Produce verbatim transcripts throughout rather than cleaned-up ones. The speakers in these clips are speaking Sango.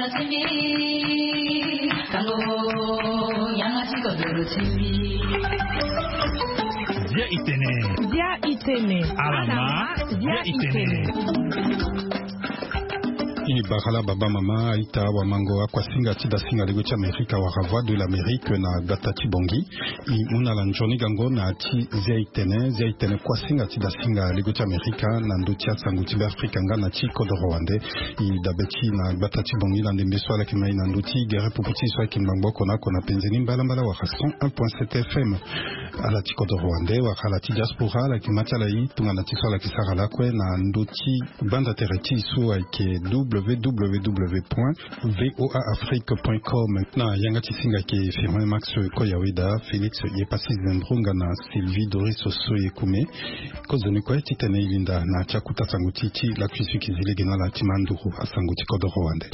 Dia itene. Dia itene. Alama. Dia itene. I bakala baba mama, aita, wamango, akuasinga ti dasinga lego ti Amerika wala Voix de l'Amérique na gbata ti Bongi. I mu na ala nzoni gango na ti zia itene, zia itene kuasinga ti dasinga lego ti Amerika na ndö ti asango ti Beafrika nga na ti kodoro wande. I dabe ti na gbata ti Bongi na ndembe so ala yeke ma i na ndö ti gere pupu ti e so ayeke ngbangbo oko na oko na penze ni mbalambala wala cent un point sept F M. Ala ti kodoro wande wala ala ti diaspora ala yeke ma ti ala i tongana ti so ala yeke sara lakue na ndö ti gbanda tere ti e so ayeke W W W point V O A Afrique point com. Na yanga ti singa ayeke Firmin Max Koyaweda, Félix Yepassi Zembro nga na Sylvie Doris Soye Koume. Kozoni kue titene e linda na ti akuta sango ti e ti lakui so e yeke zi lege na ala ti ma nduru asango ti kodoro wande.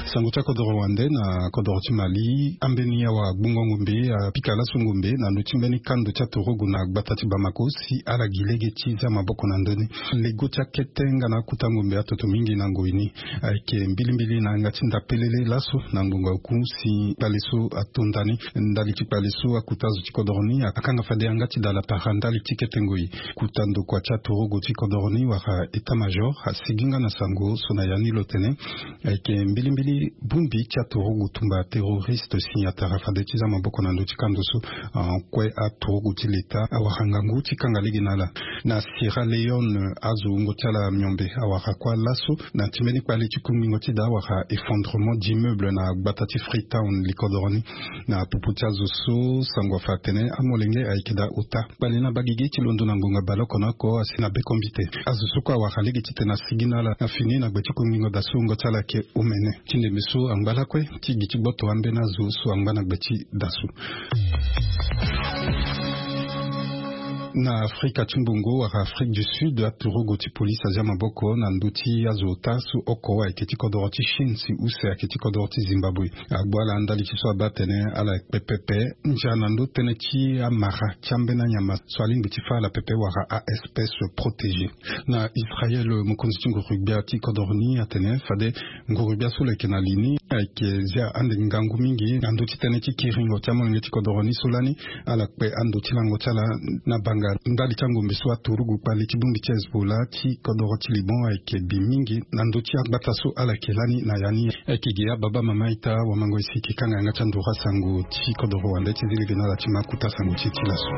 Sango ti akodoro wande na kodoro ti Mali, ambeni awa gbungo ngombe apika laso ngombe na ndö ti mbeni kando ti aturugu na gbata ti Bamako si ala gi lege ti zia maboko na ndö ni. Lego ti akete nga na akuta ngombe atoto mingi na ngoi ni. Ayeke mbilimbili na yanga ti ndapelele laso na ngonga oku si kpale so atonda ni. Ndali ti kpale so akuta azo ti kodoro ni akanga fade yanga ti dala para ndali ti kete ngoi. Kuta ndokua ti aturugu ti kodoro ni wala état-major asigi nga na sango so na ya ni lo tene ayeke mbilimbili bongbi ti aturugu tumba terroriste si atara fade ti zia maboko na ndö ti kando so. Ah, kue aturugu ti leta awara ngangu ti kanga lege na ala. Na Sierra Leone, azo wungo ti ala miombe awara kue laso na ti mbeni kpale ti kungbingo ti da awara effondrement d'immeuble na gbata ti Freetown li kodoro ni. Na popo ti azo so sango afa atene amolenge ayeke daa ota. Kpale ni abaa gigi ti londo na ngonga baleoko na oko asi na bekombite. Azo so kue awara lege titene asigi na ala na fini na gbe ti kungbingo da so wungo ti ala ayeke omene. Ti ndembe so angba lakue ti gi ti gboto ambeni azo so angba na gbe ti da so. Na Afrika ti Mbongo wala Afrique du Sud, aturugu ti polisi azia maboko na ndö ti azo ota so oko ayeke ti kodoro ti Chine si use ayeke ti kodoro ti Zimbabwe. Agbu ala ndali ti so abaa atene ala kpe pepe ndia na ndö tënë ti amara ti ambeni anyama so alingbi ti fâ ala pepe wala a-espèce protégée. Na Israël, mokonzi ti nguru-gbia ti kodoro ni atene fade nguru-gbia so lo yeke na li ni ayeke zia ande ngangu mingi na ndö ti tënë ti kiringo ti amolenge ti kodoro ni so lani ala kpe ando ti lango ti ala na banga ndali ti angombe so aturugu kpale ti bongbi ti Hezbollah ti kodoro ti Liban ayeke bi mingi na ndö ti agbata so ala yeke lani na ya ni. Ayeke gi ababa mama ita wamango esi e yeke kanga yanga ti anduru asango ti kodoro wande ti zi lege na ala ti ma akuta sango ti e ti laso.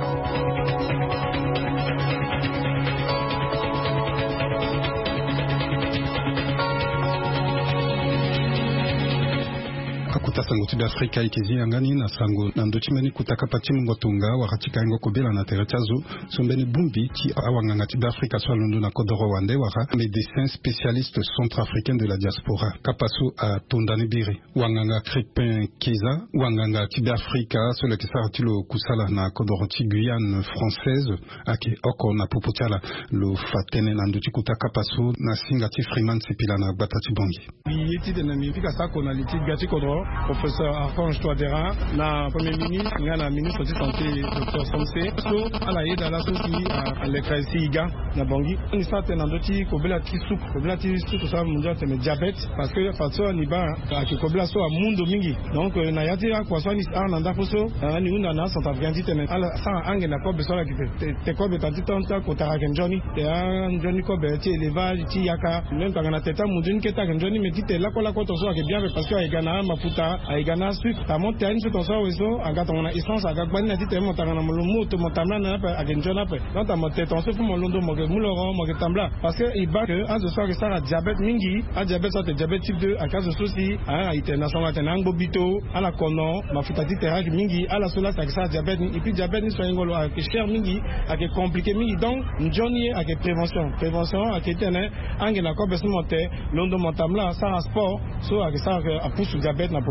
Akuta sango ti Beafrika e yeke zi yanga ni na sango na ndö ti mbeni kuta kapa ti mungo tonga wala ti kaingo kobela na tere ti azo so mbeni bongbi ti awanganga ti Beafrika so alondo na kodoro wande wala Médecin spécialiste centrafricain de la diaspora, kapa so atonda ni biri. Wanganga Crispin Keza, wanganga ti Beafrika so lo yeke sara ti lo kusala na kodoro ti Guyane française, ayeke oko na popo ti ala. Lo fa tënë na ndö ti kota kapa so na singa ti Freeman Sipila na gbata ti Bangui. Mbi ye titene mbi fika sako na li ti gbia ti kodro, professeur Archange Touadéra, na premier ministre nga na ministre ti santé, docteur Somse, so ala yeda laso si aleka si e ga na Bangui. Ani sara tënë na ndö ti kobela ti suku, kobela ti suku so amu ndia atene diabète, parce que fadeso ani baa ayeke kobela so amu ndo mingi. Donc na ya ti akua so ani sara na ndako so, ani hunda na acentrafricain titene ala sara ange na kobe so ala yeke te, te kobe tena ti tanga ti akota ayeke nzoni. Te anzoni kobe ti élevage ti yaka, même tongana tete amu nzoni kete ayeke nzoni, mais titene lakue lakue tongaso ayeke bien ape, parce que ayeke ga na amafuta, ayeke ga na asucre. Tongana mo te ani so tongaso awe so aga tongana essence aga gbani na titene mo tongana mo lo mu oto mo tambula na ni ape ayeke nzoni ape. Donc tongana mo te tongaso fo mo londo mo yeke mu loro mo yeke tambula. Parce que e baa ke azo so ayeke sara diabète mingi, adiabète so atene diabète type deux ayeke azo so si a, e tene na sango atene angbo bito, ala kono, mafuta ti tere ayeke mingi, ala so la si ayeke sara diabète ni. Et puis diabète ni so ahingo lo ayeke cher mingi, ayeke compliqué mingi. Donc nzoni ye ayeke prévention. Prévention ayeke titene ange na kobe so mo te, londo mo tambula, sara sport, so ayeke sara ke apusu diabète na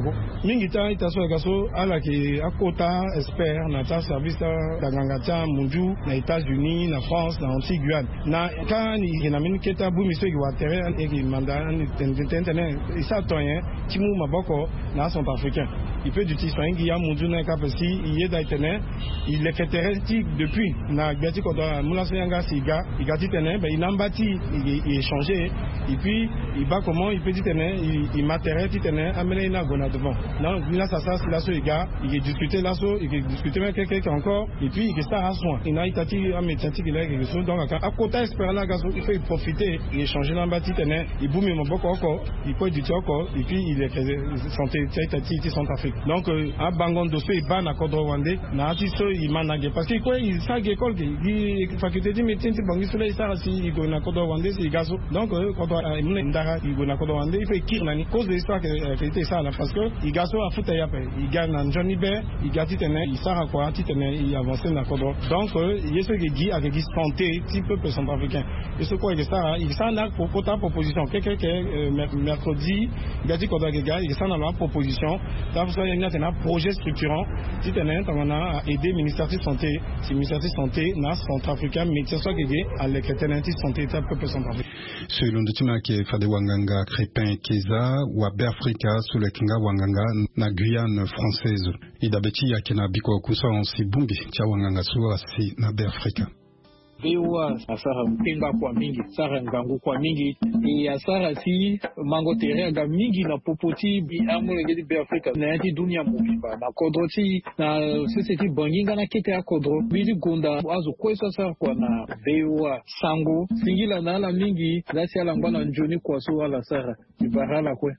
Mingi ti a-ita so ayeke ga so ala yeke akota expert na ti aservice ti anganga ti amunzu na États-Unis, na France, na Antilles, Guyane. Na ka ni e yeke na mbeni kete abongbi so e yeke wara tere, e yeke manda ani tene tene tene e sara to nyen ti mu maboko na acentrafricain. E peut duti so ahingi amunzu na e kapa si e yeda e tene e leke tere ti depuis na gbia ti kodro amu laso yanga si e ga e ga titene ben e na amba ti e e échanger. Et puis e baa comment e peut titene e ma tere titene ambeni aye ni ague na devant. Donc ni laso asara si laso e ga e ke discuter laso e ke discuter même keke keke encore. Et puis e ke sara asoin e na a-ita ti amédecin ti ke laa e ke ke so donc aka akota expert laa aga so il faut e profiter e échanger na amba titene e bongbi maboko oko, e kue duti oko. Et puis e leke santé ti a-ita ti e ti Centrafrique. Donc euh, abango ndo so e baa na kodro wande na ya ti so e ma na ge parce que e kue e sara ge école ge gi faculté ti médecine ti Bangui so laa e sara si e gue na kodro wande si e ga so. Donc euh, kodro aye mu na e ndara e gue na kodro wande il faut e kiri na ni kozo histoire ke euh, ke ti e sara na parce que e ga so afuta e ape e ga na nzoni be. E ga titene e sara kua titene e avancer na kodro. Donc euh, ye so e ke gi ayeke gi santé ti peuple centrafricain. Ye so kue e ke sara e ke sara na kota proposition keke keke euh, mercredi. Gbia ti kodro ayeke ga e ke sara na lo aproposition. Ti afa so aye ni atene aprojet structurant titene tongana a aider ministère ti santé si ministère ti santé na acentrafricain médecin so ayeke ge aleke tënë ti santé ti apeuple centrafricain. So e londo ti me ayeke fade wanganga Crépin Keza wa Beafrika so lo yeke nga wanganga na Guyane française. E dabe ti e ayeke na bikua oku so ahon si bongbi ti awanganga so asi na Beafrika. Voa asara kpengba kua mingi, sara ngangu kua mingi. E asara si mango tere aga mingi na popo ti amolenge ti Beafrika na ya ti dunia mobimba na kodro ti e na sese ti Bangui nga na kete akodro. Mbi ti gonda azo kue so asara kua na Voa. Sango singila na ala mingi. Laa si ala ngba na nzoni kua so ala sara. Mbi bara ala kue.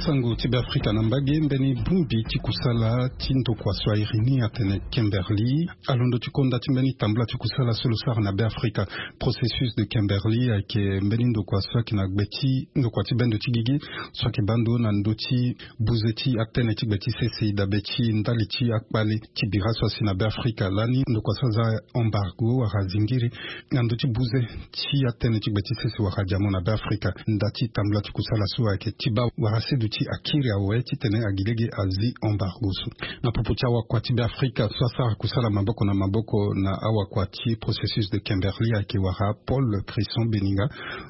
Sango ti Beafrika na mbage. Mbeni bongbi ti kusala ti ndokua so airi ni atene Kimberly alondo ti konda ti mbeni tambula ti kusala so lo sara na Beafrika. Processus de Kimberly ayeke mbeni ndokua so ayeke na gbe ti ndokua ti bendo ti gigi so ayeke baa ndo na ndö ti buze ti atënë ti gbe ti sese dabe ti ndali ti akpale ti bira so asi na Beafrika lani ndokua so aza embargo wala zingiri na ndö ti buze ti atënë ti gbe ti sese wala diamant na Beafrika. Nda ti tambula ti kusala so ayeke ti baa wala seduti akiri awe titene agi lege azi embargo so. Na popo ti awakua ti Beafrika so asara kusala maboko na maboko na awakua ti processus de Kimberly ayeke wala Paul Crisson Beninga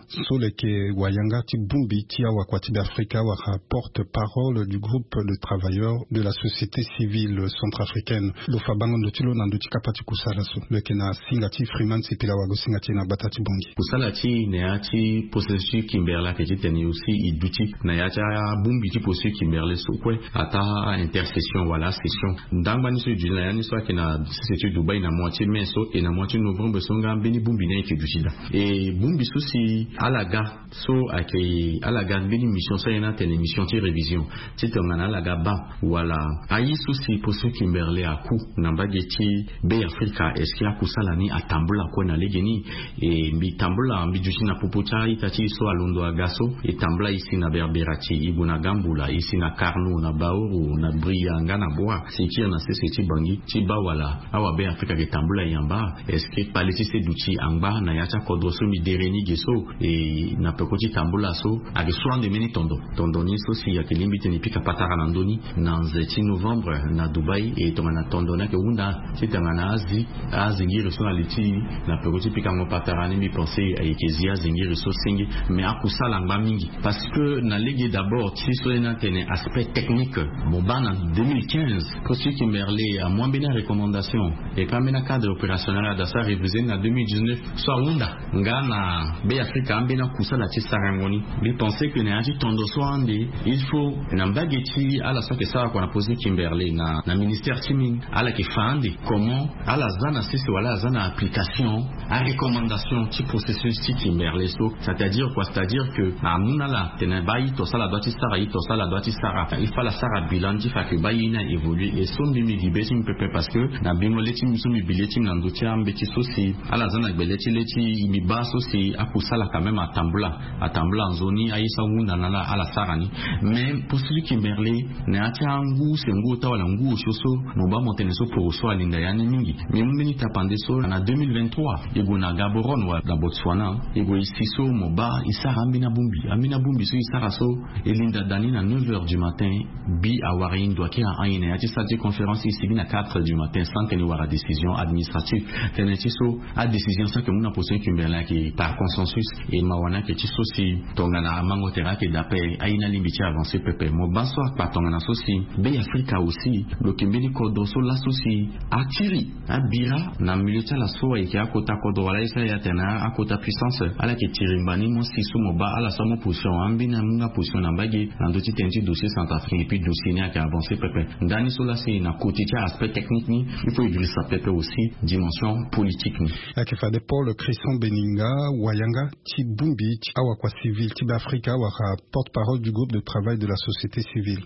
so lo yeke wayanga ti bongbi ti awakua ti Beafrika wala porte-parole du groupe de travailleurs de la société civile centrafricaine. Lo fa bango ndo ti lo na ndö ti kapa ti kusala so lo yeke na singa ti Freeman Sipila wago singa ti e na gbata ti Bangui. Kusala ti e na ya ti processus ti Kimberly ayeke titene aussi e duti na ya ti abongbi ti processus Kimberly so kue ataa intercession wala asession. Ndangba ni so e duti na ya ni so ayeke na sese ti Dubaï na mois ti mai so e na mois ti novembre so nga mbeni bongbi ni ayeke duti daa. E bongbi so si ala ga so ayeke ala ga mbeni mission so aye ni atene mission ti révision ti tongana ala ga baa wala aye so si processus Kimberly aku na mbage ti Beafrika. Est-ce que akusala ni atambula kue na legeni? E mbi tambula mbi duti na popo ti a-ita ti e so alondo aga so e tambula e si na Berberati, e gue na Gambula, e si na Karno, na Baoro, na Bria nga na Bua si e kiri na sese ti Bangui ti baa wala awa Beafrika ayeke tambula e yamba. Est-ce que kpale ti seduti angba na ya ti akodro so mbi dere ni ge so? E na peko ti tambula so ayeke so ande mbeni tondo. Tondo ni so si ayeke lingbi titene e pika patara na ndö ni na nze ti novembre na Dubaï. E tongana tondo ni ayeke hunda ti tongana azi azingiri so na li ti e na peko ti pikango patara ni mbi pense ayeke zi azingiri so senge. Mais akusala angba mingi parce que na lege d'abord ti so ye ni atene aspect technique. Mo baa na deux mille quinze processus Kimberly amu ambeni arecommandation et puis ambeni acadre opérationnel ada so arévisé ni na deux mille dix-neuf so ahunda nga na Beafrika ambeni akusala ti sarango ni. Mbi pense que na ya ti tondo so ande il faut na mbage ti ala so ayeke sara kua na processus Kimberly na, na ministère ti mine ala yeke fa ande comment ala za na sese wala ala za na application arecommandation ti processus ti Kimberly so. C'est-à-dire quoi? C'est-à-dire que amu na ala tene baa ito so ala doit ti sara Aye to so ala doit ti sara, il faut ala sara bilan ti fa ke baa ye ni a évoluer. Et so mbi mbi gi be ti mbi pepe parce que na bingo le ti mbi so mbi bi le ti mbi na ndö ti ambeti so si ala za na gbele ti le ti mbi baa so si akusala quand même atambula, atambula nzoni aye so ahunda na ala ala sara ni. Mais posi ti kimberle na ya ti angu se ngu ota wala ngu osio so mo baa mo tene so poro so alinda ya ni mingi. Mbi mu mbeni tapande so na deux mille vingt-trois e gue na Gaborone wala na Botswana, e gue e si so mo baa e sara ambeni abongbi, ambeni abongbi so e sara so e linda da ni na neuf heures du matin. Bi awara e ndo ayeke na an e na ya ti salle ti conférence e sigi na quatre heures du matin sans tene e wara décision administrative. Tënë ti so adécision so ayeke mu na position ti kimberle ayeke par consensus. E mawa ni ayeke ti so si tongana amango tere ayeke daa ape aye ni alingbi ti avancer pepe. Mo baa so akpa tongana so si Be Afrika aussi lo yeke mbeni kodro so laso si atiri abira na milieu ti ala so ayeke akota kodro wala aye so aye atene akota puissance. Ala yeke tiri mbani mo si so mo baa ala so amu position ambeni amu nga position na mbage na ndö ti tënë ti dossier centrafricain et puis dossier ni ayeke avancer pepe. Ndani so lasi na côté ti aspect technique ni il faut e girisa pepe aussi dimension politique ni. Ayeke fade Paul Christian Beninga, wayanga ti bongbi ti awakua civil ti Be Afrika wala porte-parole du groupe de travail de la société civile.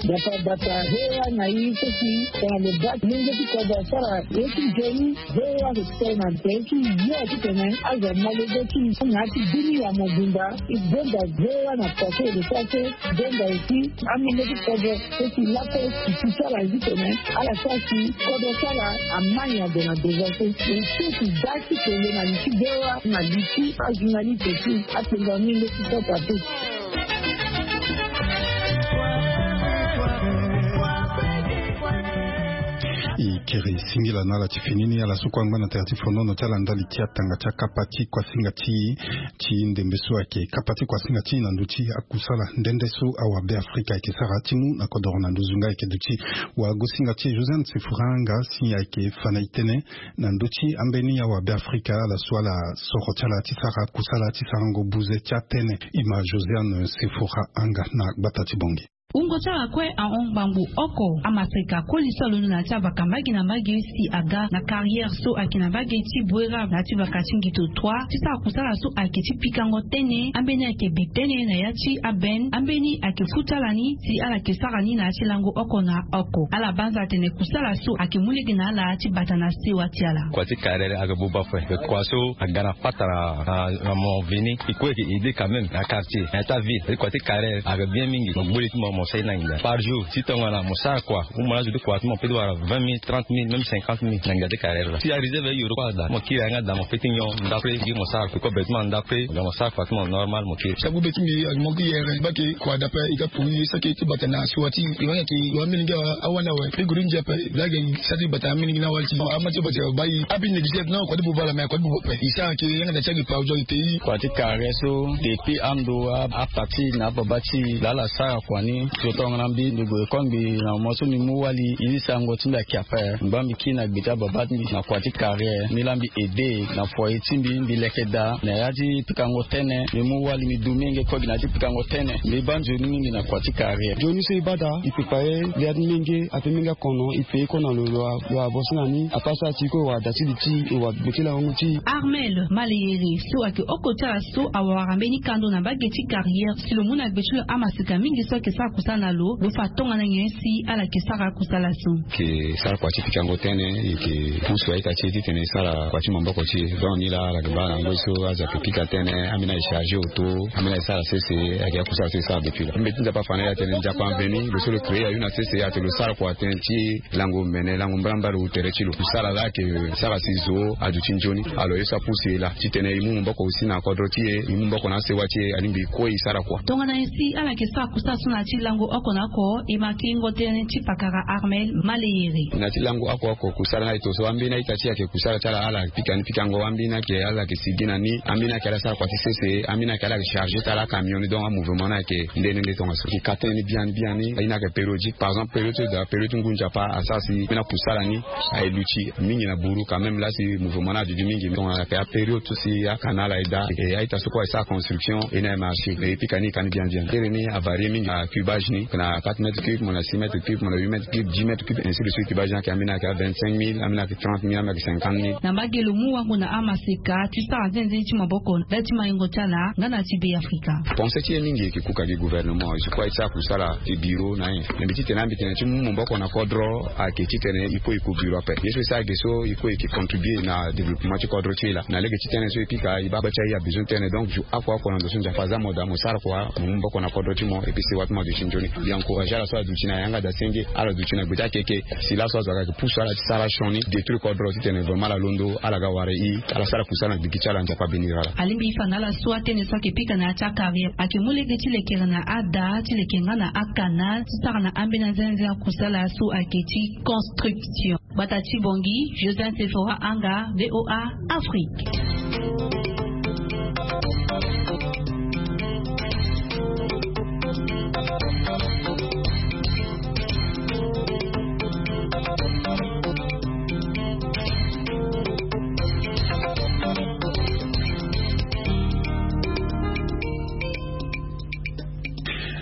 Bata bata hewa na i so si tongana lo baa ti lenge ti kodro asara ye ti nzoni. Hewa lo tene na ntere ti yo titene azo amolenge ti na ya ti bini ya mobimba. E bonda hewa na pase lo sara so bonda aussi. Amolenge ti kodro so si lape si ti sara ye titene ala sara si kodro ti ala amai ade na devant so. E so si daa ti kele na li ti hewa na li ti ajournaliste ti atenga amolenge ti kota te. E kiri singila na ala ti fini ni ala so kue angba na tere ti fonono ti ala ndali ti atanga ti akapa ti kuasinga ti ti ndembe so ayeke kapa ti kuasinga ti na ndö ti akusala nde nde so awa Be Afrika ayeke sara ti mu na kodoro na nduzu nga ayeke duti. Wagosinga ti Josiane Sefora nga si ayeke fa na e tënë na ndö ti ambeni awa Be Afrika ala so ala soro ti ala ti sara kusala ti sarango buze ti atënë. E ma Josiane Sefora anga na gbata ti Bangui. Wungo ti ala kue ahon ngbangbo oko amaseka koli so alondo na ya ti avaka mbage na mbage si aga na carrière so ayeke na mbage ti Bouérab na ya ti vaka ti Ngito trois ti sara kusala so ayeke ti pikango tënë. Ambeni ayeke bi tënë na ya ti aben ambeni ayeke futa ala ni si ala yeke sara ni na ya ti lango oko na oko. Ala banza atene kusala so ayeke mu lege na ala ti bata na sewa ti ala. Kua ti carrière ayeke buba ape. Kua so aga na patara na mo veni e kue ayeke aidé quand même na quartier na ya ti aville. Kua ti carrière ayeke bien mingi. Mo gbu li ti mo mo sara ni na nginza par jour ti tongana mo sara kua ou mo la zo ti kua ti mo pe ti wara vingt mille, trente mille, même cinquante mille na nginza ti carrière la. Si areserve ayoro kue ada mo kiri ayanga ada mo pe ti nyon ndapre gi mo sara kua ti mo ndapre. Mo sara kua ti mo normal mo kiri. Sa gbu be ti mbi agi mo ki yere bake kua ada ape e ga pui e saki ti bata na siwa ti e wani ake e wa milenge awani awe. Pe guru ndia ape e lage e sara ti bata na milenge na wali ti ama ti bata ba e abi négligé non kua ti buba la me kua ti buba ape e sara ake yanga da ti agi pa ozo ate. Kua ti carrière so depuis ando a- apati na ababa ti lala sara kua ni. Zo tongana mbi mbi gue kongbi na mo so mbi mu wali e zi sango ti mbi ake ape. Mbi baa mbi kiri na gbe ti ababa ti mbi na kua ti carrière mbi laa mbi aidé na foyer ti mbi mbi leke daa na ya ti pikango tënë. Mbi mu wali mbi du menge kue gi na ya ti pikango tënë. Mbi baa nzoni mingi na kua ti carrière. Nzoni so e baa daa e pepa ye. Lia ti menge ape menge akono e pe ye kue na lo lo a- lo abo so na ni apa so ati kue wala da ti li ti e wala gbe ti lango ti. Armel maleyere so ayeke oko ti ala so awara mbeni kando na mbage ti carrière si lo mu na gbe ti lo amaseka mingi so ayeke sara kusala na lo lo fa tongana nyen si ala yeke sara kusala so. Yeke sara kua ti pikango tënë e yeke pusu a-ita ti e titene e sara kua ti maboko ti e. Donc ni laa ala yeke baa na ngoi so azo ayeke pika tënë ambeni ayeke chargé auto. Ambeni ayeke sara sese ayeke ya kusala so e sara depuis la mbeti nzapa afa na e atene nzapa aveni lo so lo créé ayu na sese atene lo sara kua tënë ti lango mene lango mbarambara tere ti lo kusala laa ayeke sara si zo aduti nzoni. Alors ye so apusu e laa titene e mu maboko aussi na kodro ti e e mu maboko na asewa ti e alingbi e kue e sara kua. Tongana nyen si ala yeke sara kusala so na ya ti lango oko na oko e ma kiringo tënë ti pakara Armel maleyere. Na ya ti lango oko oko kusala ni ayeke to so ambeni a-ita ti e ayeke kusala ti ala ala pika ni pikango ambeni ayeke ala yeke sigi na ni ambeni ayeke ala sara kua ti sese ambeni ayeke ala yeke chargé ti ala acamion ni donc amouvement ni ayeke nde nde nde tongaso. Eke ka tënë ni biani biani aye ni ayeke périodique par exemple période ti da période ti ngu nzapa asara si mbeni akusala ni aye luti mingi na buru quand même laa si mouvement ni aduti mingi tongana ayeke apériode so si akana ala aye daa e a-ita so kue aye sara construction e ni aye marché e pika ni e ka ni biani biani tere ni avarie mingi na Cuba. Age ni na quatre mètres cubes, mo na six mètres cubes, mo na huit mètres cubes, dix mètres cubes, ainsi de suite. Ba age ni ayeke ambeni ayeke vingt-cinq mille, ambeni ayeke trente mille, ambeni ayeke cinquante mille. Na mbage lo mu wango na amaseka ti sara nzenze ti maboko ndali ti maingo ti ala nga na ti Be Afrika. Pense ti e mingi e yeke kuka gi gouvernement, je crois e ti sara kusala ti bureau na e. Na mbi titene ambi tene ti mu maboko na kodro ayeke titene e kue e ko bureau ape. Ye so e sara ge so e kue e yeke contribuer na développement ti kodro ti e laa. Na lege ti tënë so e pika e baa gba ti aye abezoin ti tënë. Donc jour oko oko na ndo so Nzapa aza mo daa mo sara kua, mo mu maboko na kodro ti mo, et puis sewa ti mo aduti nzoni. Mbi encourager ala so aduti na yanga daa senge, ala duti na gbe ti akeke. Si laso azo aga yeke pusu ala ti sara sioni, détruire kodro titene vraiment ala londo, ala ga wara e, ala sara kusala na gigi ti ala, Nzapa abénir ala. Alingbi e fa na ala so atënë so ayeke pika na ya ti acarrière ayeke mu lege ti lekere na ada ti leke nga na acanal ti sara na ambeni anzenze akusala so ayeke ti construction. Gbata ti Bangui, Joseph Sephora Anga, V O A Afrique.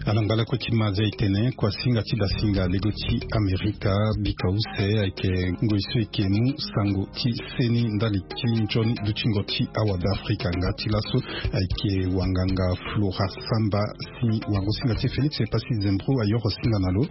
Ala ngba lakue ti ma aza e tene kuasinga ti dasinga lego ti Amerika bika use ayeke ngoi so e yeke mu sango ti seni ndali ti nzoni dutingo ti awa Be Afrika. Nga ti laso ayeke wanganga Flora Samba si wango-singa ti Félix Epassi Zembro ayoro singa na lo.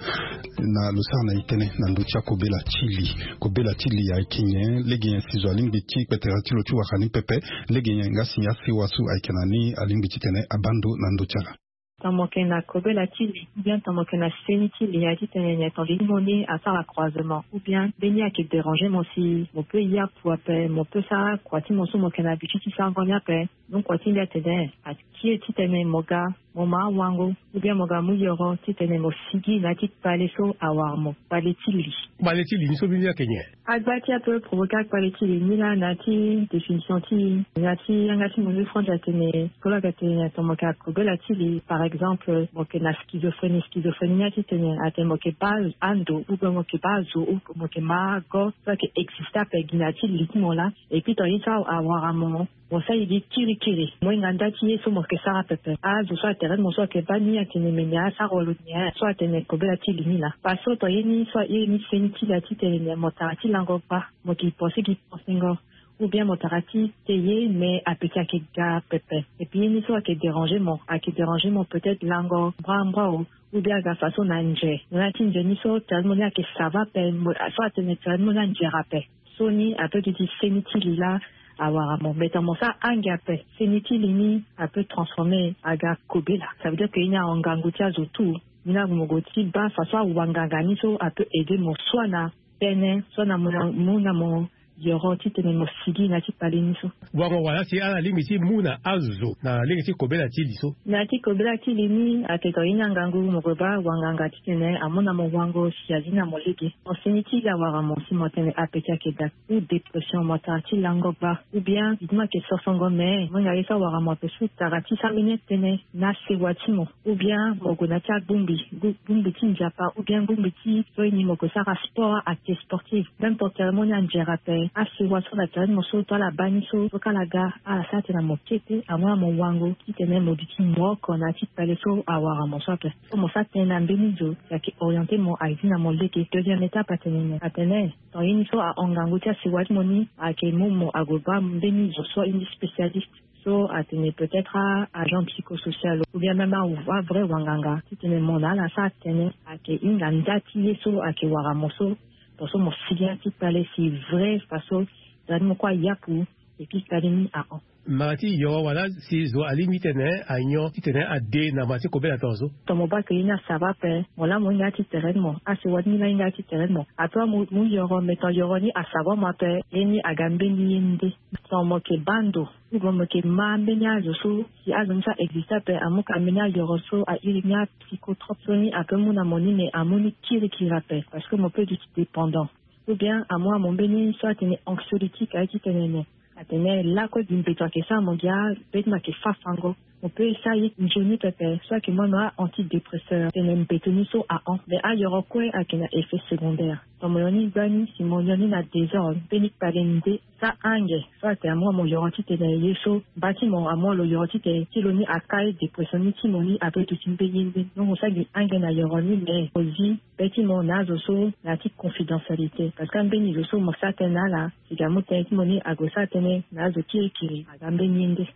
Na lo sara na e tënë na ndö ti akobela ti li. Kobela ti li ayeke nyen? Lege nyen si zo alingbi ti kpetera ti lo ti wara ni pepe? Lege nyen nga si asewa so ayeke na ni alingbi titene abaa ndo na ndö ti ala? Tongana mo yeke na kobela ti li, ou bien tongana mo yeke na seni ti li, aye titene nyen? Tongana li mo ni asara croisement, ou bien mbeni ayeke déranger mo si mo peut yapu ape, mo peut sara kua ti mo so mo yeke na habitude ti sarango ni ape. Donc kua ti mbi atene, atie titene mo ga mo ma awango, ou bien mo ga mu yoro titene mo sigi na ya ti kpale so awara mo, kpale ti li. Kpale ti li ni so mbeni ayeke nyen? Agba ti ape provoquer akpale ti li ni laa, na ya ti définition ti e, na ya ti yanga ti mo ni France atene, so lo ayeke tene tongana mo yeke na kobela ti li, par exemple mo yeke na schizophrénie. Schizophrénie ni aye titene atene mo yeke baa ando, ou bien mo yeke baa azo, ou mo yeke ma ago so ayeke existe ape gi na ya ti li ti mo laa. Et puis tongana ye so awara mo, mo sara gi kirikiri, mo hinga nda ti ye so mo yeke sara pepe. Azo so atere ti mo so ayeke baa ni atene me ni asara wala lo nyen? So atene kobela ti li ni laa. Parce que tongana ye ni so aye ni seni ti li aye titene nyen? Mo tara ti lango gba, mo yeke pense gi pensengo, ou bien mo tara ti te ye, mais apeti ayeke ga pepe. Et puis ye ni so ayeke déranger mo, ayeke déranger mo peut-être lango mbrambra o, ou bien aga façon na nze. Mo na ya ti nze ni so tere ti mo ni ayeke sava ape, mo so atene tere ti mo ni anzere ape. So ni apeut duti seni ti li laa awara mo. Mais tongana mo sara ange ape, seni ti li ni apeut transformer aga kobela. Ça veut dire que ye ni ahon ngangu ti azo tout. Ni laa mo gue ti baa façon awanganga ni so apeut aider mo soit na tene, soit na mo na, mo na mo yoro titene mo sigi na ya ti kpale ni so. Wango wala si ala lingbi ti mu na azo na lege ti kobela ti li so? Na ya ti kobela ti li ni, ayeke tongana ye ni angangu mo gue baa wanganga titene amu na mo wango si azi na mo lege. Mo seni ti li awara mo si mo tene apeti ayeke daa, ou dépression, mo tara ti lango gba, ou bien li ti mo ayeke sosongo, mais mo hinga ye so awara mo ape so tara ti sara mbeni tënë na sewa ti mo, ou bien mo gue na ya ti agbongbi, gbu-, gbongbi ti nzapa, ou bien gbongbi ti so ye ni mo gue sara sport, acte sportif. Même tongana tere ti mo ni anzere ape, asewa so na tere ti mo so to ala baa ni so, so ka ala ga, ala sara tene mo kete, amu na mo wango titene mo duti mo oko na ya ti kpale so awara mo so ape. So mo sara tënë na mbeni zo si ayeke orienter mo, azi na mo lege. Deuxième étape atene nyen? Atene tongana ye ni so ahon ngangu ti asewa ti mo ni, ayeke mu mo ague baa mbeni zo so ye ni spécialiste. So atene peut-être a-agent psychosocial, ou bien même a-, avrai wanganga titene mo na ala asara tënë, ayeke hinga nda ti ye so ayeke wara mo so. Tongaso mo sigi na ya ti kpale si vrai façon tere ti mo kue ayapu, et puis kpale ni ahon. Mara ti yoro wala si zo alingbi titene anyon titene ade na mara ti kobela tongaso? Tongana mo baa ke ye ni asava ape, mo laa mo hinga ya ti tere ti mo, asewa ti ni laa ahinga ya ti tere ti mo. Ape mo, mo yoro, mais tongana yoro ni asava mo ape, ye ni aga mbeni ye nde. Tongana mo yeke baa ndo, ou bien mo yeke ma mbeni azo so, si azo ni so a existe ape, amu ka mbeni ayoro so a iri ni apsychotrope, so ni apeut mu na mo ni, mais amu ni kirikiri ape, parce que mo peut duti dépendant. Ou bien amu na mo mbeni so atene anxiolytique, aye titene nyen? Atene lakue gi mbeto ayeke sara mo gi a, mbeni mo ayeke fa fango. Mo peut sara ye nzoni pepe so ayeke mu na a-antidépresseur tene mbeto ni so ahon. Mais ayoro kue ayeke na effet secondaire. Tongana mo yoni gbani si mo yoni na désordre mbeni kpale ni nde, sa ange so atene amu wa mo yoro titene ye so mba ti mo amu wa lo yoro titene ti lo ni akai dépression ni ti mo ni ape duti mbeni ye nde. Donc mo sa gi ange na yoro ni mais mo zi be ti mo na azo so na ya ti confidentialité parce que ambeni zo so mo sa tënë na ala si ga mu tënë ti mo ni ague sa tënë na azo ti eke aga mbeni ye nde.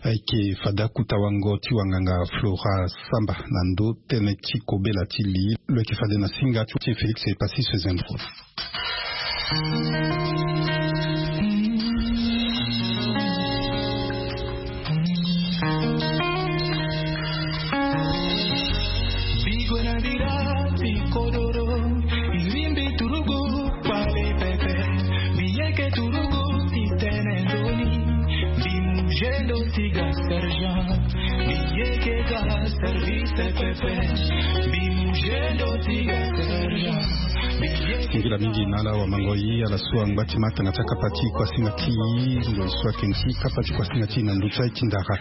Ayeke fade akuta wango ti wanganga Flora Samba na ndo tënë ti kobela ti li lo yeke fade na singa ti Félix Passy Sezendro. Singila mingi na ala wamangoi ala so angba ti ma tanga ti akapa ti kuasinga ti ngoi so ayeke nti kapa ti kuasinga ti na ndö ti aye ti ndara.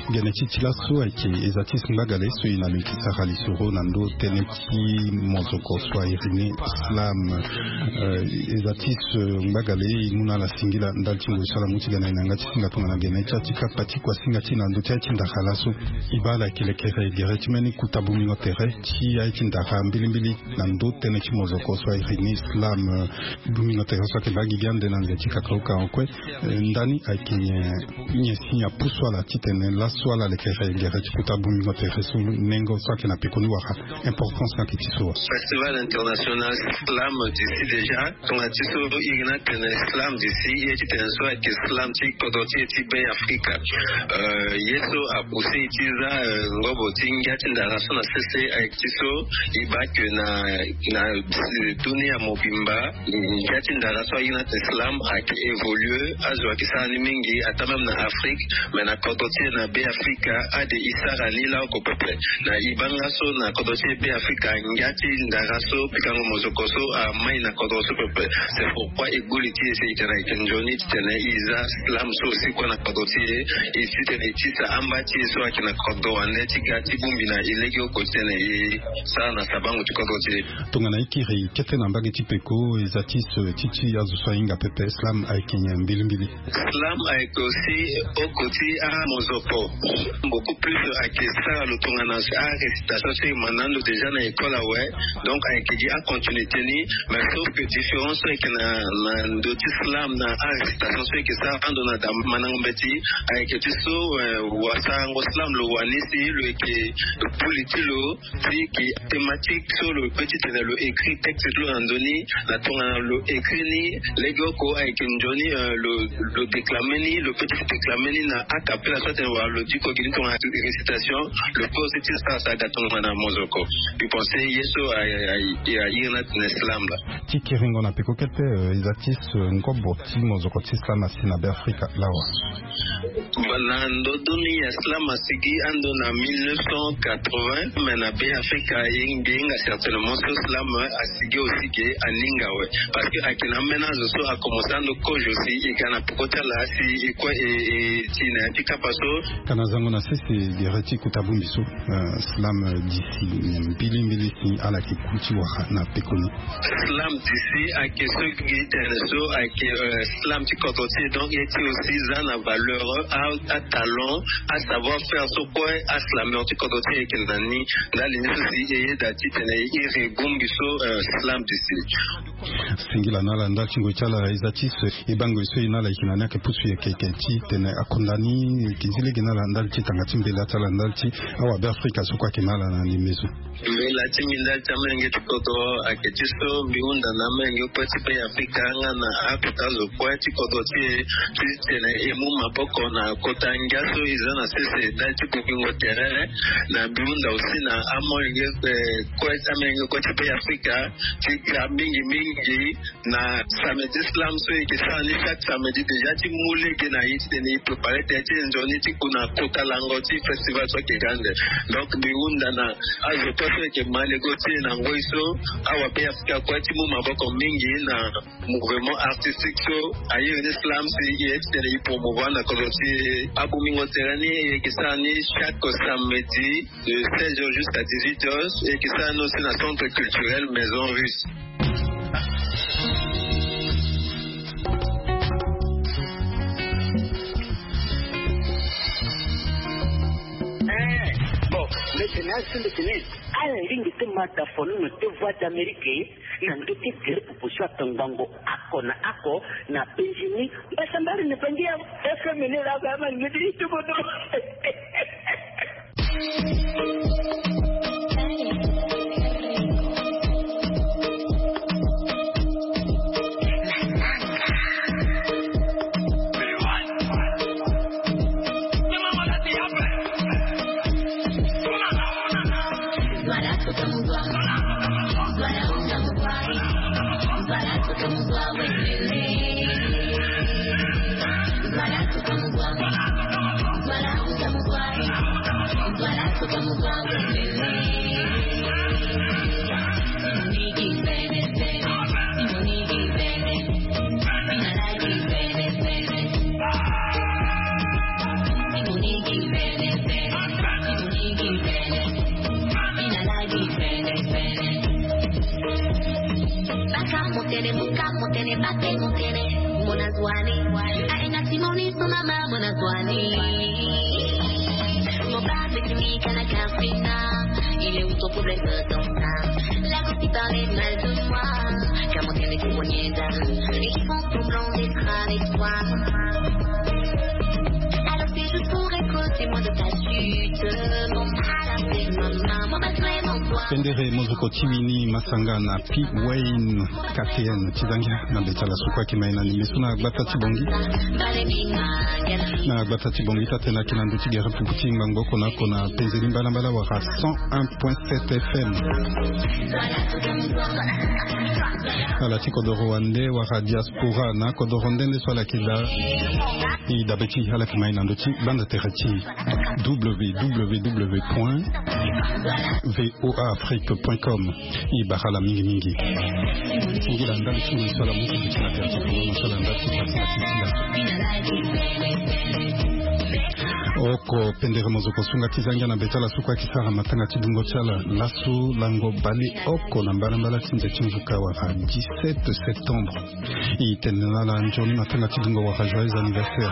Gene ti ti laso ayeke eza ti singba gale so e na lo yeke sara lisoro na ndö tënë ti mozoko so airi ni slam. Eza ti singba gale e mu na ala singila ndali ti ngoi so ala mu ti ga na e na yanga ti singa tongana gene ti aye ti kapa ti kuasinga ti na ndö ti aye ti ndara laso. E baa ala yeke lekere gere ti mbeni kuta bongbingo tere ti aye ti ndara mbilimbili na ndö tënë ti mozoko so airi ni slam. Bongbingo tere so ayeke mbage gi ande na nze ti kakauka kue. Ndani ayeke nyen si apusu ala titene laso ala lekere gere ti kuta bongbingo tere so nengo so ayeke na pekoni wala importance ni ayeke ti so wa? Festival international slam d'ici déjà. Tongana ti so iri ni atene slam d'ici ye titene so ayeke slam ti kodro ti e ti Be Afrika. Ye so apousse e ti za ngobo ti ngia ti ndara so na sese ayeke ti so e baa ke na na dunia mobimba. Ngia ti ndara so airi ni atene slam ayeke évoluer azo ayeke sara ni mingi ata même na Afrique. Mais na kodro ti e na Be Afrika ade e sara ni laoko pepe. Na e baa nga so na kodro ti e Be Afrika ngia ti ndara so pikango mozoko so amai na kodro so pepe. C'est pourquoi e gbu li ti e si e tene ayeke nzoni titene e za slam so aussi kue na kodro ti e. E titene e tisa amba ti e so ayeke na kodro wande ti ga ti bongbi na e legeoko titene e sara na sabango ti kodro ti e. Tongana e kiri kete na mbage ti peko eza ti so ti ti azo so ahinga pepe slam ayeke nyen mbilimbili? Slam ayeke aussi oko ti amozoko. Beaucoup plus ayeke sara lo tongana arécitation so e ma na ando déjà na école awe. Donc ayeke gi acontinuité ni. Mais sauf que différence so ayeke na na ndo ti slam na arécitation so ayeke sara ando na da mandango mbeti ayeke ti so wasarango slam lo wani si lo yeke buli ti lo ti gi thématique so lo peut titene lo écrit texte ti lo na ndo ni. Na tongana lo écrit ni legeoko ayeke nzoni lo lo déclame ni lo peut ti déclame ni na acapella so atene wala lo diko gi ni tongana récitation. Lo peut aussi ti sara sara ga tongana mozoko. Mbi pense ye so airi ni atene slam laa. Ti kiringo na peko kete eza ti so ngobo ti mozoko ti slam asi na Be Afrika lawa. Na ndodoni ya slam asigi ando na mille neuf cent quatre-vingts mais na Be Afrika e mbi hinga certainement so slam asigi aussi ke aninga awe. Parce que ayeke na ambeni azo so akomense ando kozo si e ga na peko ti ala si e kue e e ti na ya ti kapa so. Kana zango na sese gere ti kota bongbi so slam d'ici mbilimbili si ala yeke ku ti wara na pekoni. Slam d'ici ayeke so gi tene so ayeke slam ti kodro ti e donc ye ti aussi za na valeur atalent asavoir faire so kue aslameur ti kodro ti e ayeke na ni. Ndali ni so si e yeda titene e iri bongbi so slam d'ici. Singila na ala ndali ti ngoi ti ala eza ti so e baa ngoi so e na ala yeke na ni ayeke pusu yeke yeke titene akonda ni. Yeke zi lege na ala ndali ti tanga ti mbela ti ala ndali ti awa Be Afrika so kue ayeke na ala na ndembe so. Mbela ti mbi ndali ti amolenge ti kodro ayeke ti so mbi hunda na amolenge kue ti Be Afrika nga na akota zo kue ti kodro ti e titene e mu maboko na kota ngia so e za na sese ndali ti bongbingo tere. Na mbi hunda aussi na amolenge kue ti amolenge kue ti Be Afrika ti ga mingi mingi Mingi na samedi slam so e yeke sara ni chaque samedi déjà ti mu lege na e titene e préparer tënë ti e nzoni ti ku na kota lango ti festival so ayeke ga ande. Donc mbi hunda na azo kue so e yeke ma lego ti e na ngoi so, awabe-afrika kue ti mu maboko mingi na mouvement artistique so airi ni slam si e ye titene e promouvoir na kodro ti e. Abungbingo tere ni e yeke sara ni chaque samedi de seize heures jusqu'à dix-huit heures, e yeke sara ni aussi na centre culturel Maison Russe. Eh, bon, mbeti na asu mbeti ni. Ala lingbi ti ma tafonono ti Voix d'Amérique na ndö ti gere pupu so atongbango oko na oko na penzi ni. Mbasambari na penzi ya F M ni laa, ba ma ngeti ti bodo. Baka motene, buka motene, bate motene, mona zwani. Aina timoni sona ma mona zwani. Mon papa me dit kana kafina, il est où ton problème dans ça? La gossip parle mal de moi, car mon cœur est témoigné d'âme. Ils font semblant d'être avec toi. Alors c'est juste pour être témoin de ta chute. Mon mal a fait ma main, mon battre mon doigt. Pendere mozoko ti wini masanga na P Wayne K T N ti zangia na beta la sukua ki mai na ni meso na gbata ti bongi. Na gbata ti bongi tate na ki na ndo ti gere pupu ti ngbangbo kona kona penzeli mbala mbala wara cent un point sept F M. Ala ti kodoro wande wara diaspora na kodoro ndende so ala ki da. I dabe ti ala ki mai na ndo ti banda tere ti W W W point V O A Afrique point com. I bara ala mingi mingi. Ngila ndali ti ngoi so ala mu ti duti na tere ti kolo na so ala ndali ti pasi na ti ti laso. Oko pendere mozoko sunga ti zangia na beta la sukua ki sara matanga ti dungo ti ala laso lango bale oko na mbala mbala ti nze ti nzuka wara dix-sept septembre. I tene na ala nzoni matanga ti dungo wara joyeux anniversaire.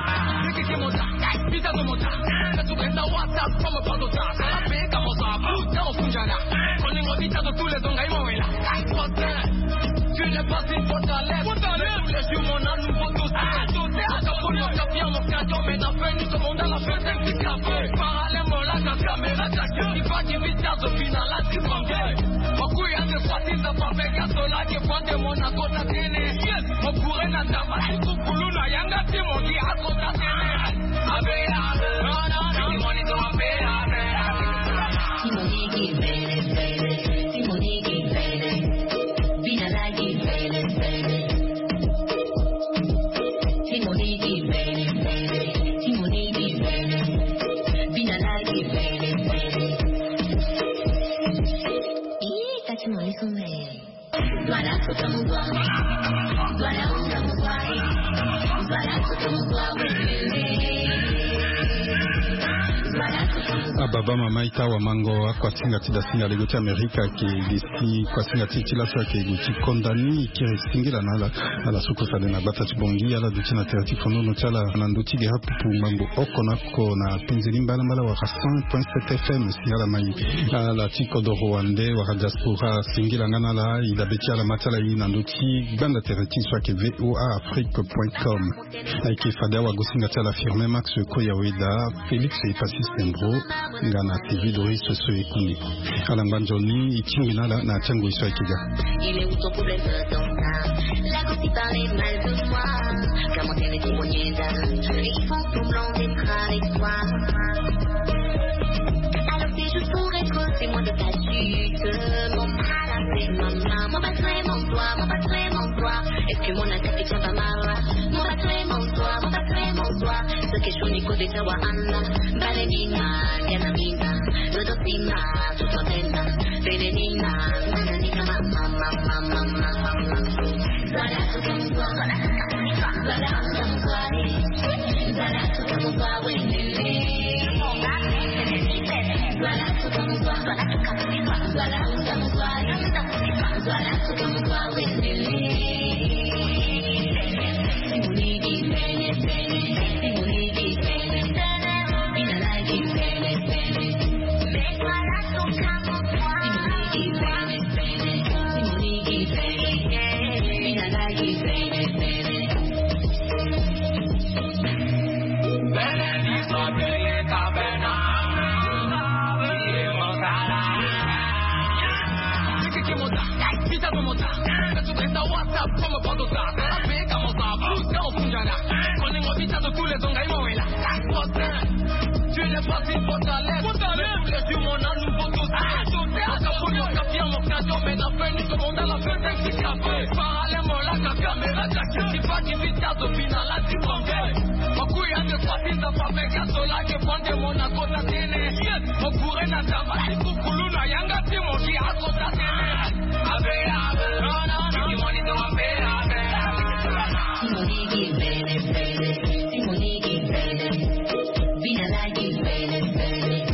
Ababa mama ita wamango akuasinga ti dasinga lego ti Amerika ke gesi kuasinga ti ti laso ake gu ti konda ni kiri singila na ala. Ala suku fade na gbata ti bongi ala duti na tere ti fonono ti ala na ndo ti gere pupu ngbangbo oko na oko na penzeli mbala mbala wara cent point sept F M si ala mai. Ala ti kodoro wande wara diaspora singila nga na ala i dabe ti ala ma ti ala i na ndo ti gbanda tere ti so ake V O A Afrique point com. Ayeke fade awagosinga ti ala Firmin Max Koyaweda, Félix Epassi Sembro nga na Sylvie Doris so e kuni. Ala ngba nzoni e tingbi na ala na ya ti angoi so ayeke ga. Il est où ton problème dans ça? La gossip parle mal de moi, car mon cœur est témoigné d'âme. Ils font semblant d'être avec toi. Alors c'est juste pour être témoin de ta chute. Mon mal a fait ma main, mon battre mon doigt, mon battre Mon attaque, ça va mal. Mon patron, mon soir, mon patron, mon soir. Ce que je connais, côté, ça va, Allah. Balenina, Ganamina, Dodosina, tout le monde. Belenina, Mananina, mama, mama, mama, mama. Voilà, tout comme toi, voilà, voilà, tout comme toi, voilà, tout comme toi, oui, oui, oui. Voilà, tout comme toi, voilà, tout comme toi, voilà, tout comme toi, oui, oui, oui.